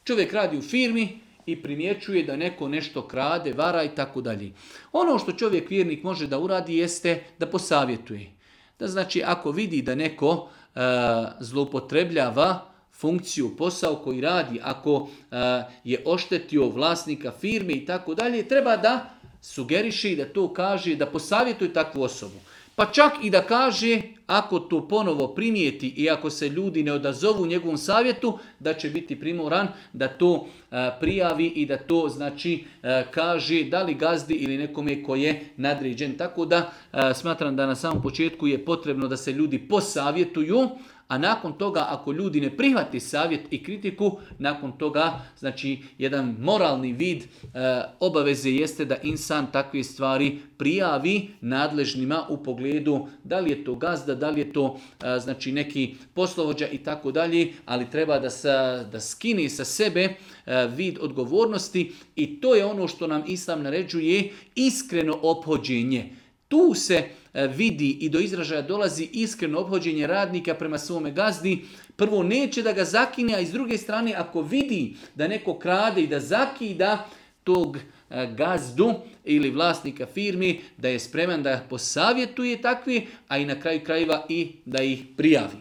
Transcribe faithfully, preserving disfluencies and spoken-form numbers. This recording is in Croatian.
Čovjek radi u firmi i primjećuje da neko nešto krade, vara i tako dalje. Ono što čovjek vjernik može da uradi jeste da posavjetuje. Da znači ako vidi da neko e, zloupotrebljava funkciju, posao koji radi, ako e, je oštetio vlasnika firme i tako dalje, treba da sugeriše, da to kaže, da posavjetuje takvu osobu. Pa čak i da kaže, ako to ponovo primijeti i ako se ljudi ne odazovu njegovom savjetu, da će biti primoran da to e, prijavi i da to znači e, kaže da li gazdi ili nekome ko je nadređen. Tako da e, smatram da na samom početku je potrebno da se ljudi posavjetuju, a nakon toga ako ljudi ne prihvati savjet i kritiku, nakon toga znači jedan moralni vid e, obaveze jeste da insan takve stvari prijavi nadležnima u pogledu da li je to gazda, da li je to e, znači neki poslovođa i tako dalje, ali treba da, sa, da skine sa sebe e, vid odgovornosti i to je ono što nam Islam naređuje, iskreno ophođenje. Tu se vidi i do izražaja dolazi iskreno ophođenje radnika prema svome gazdi. Prvo neće da ga zakine, a iz druge strane ako vidi da neko krade i da zakida tog gazdu ili vlasnika firmi, da je spreman da posavjetuje takvi, a i na kraju krajeva i da ih prijavi.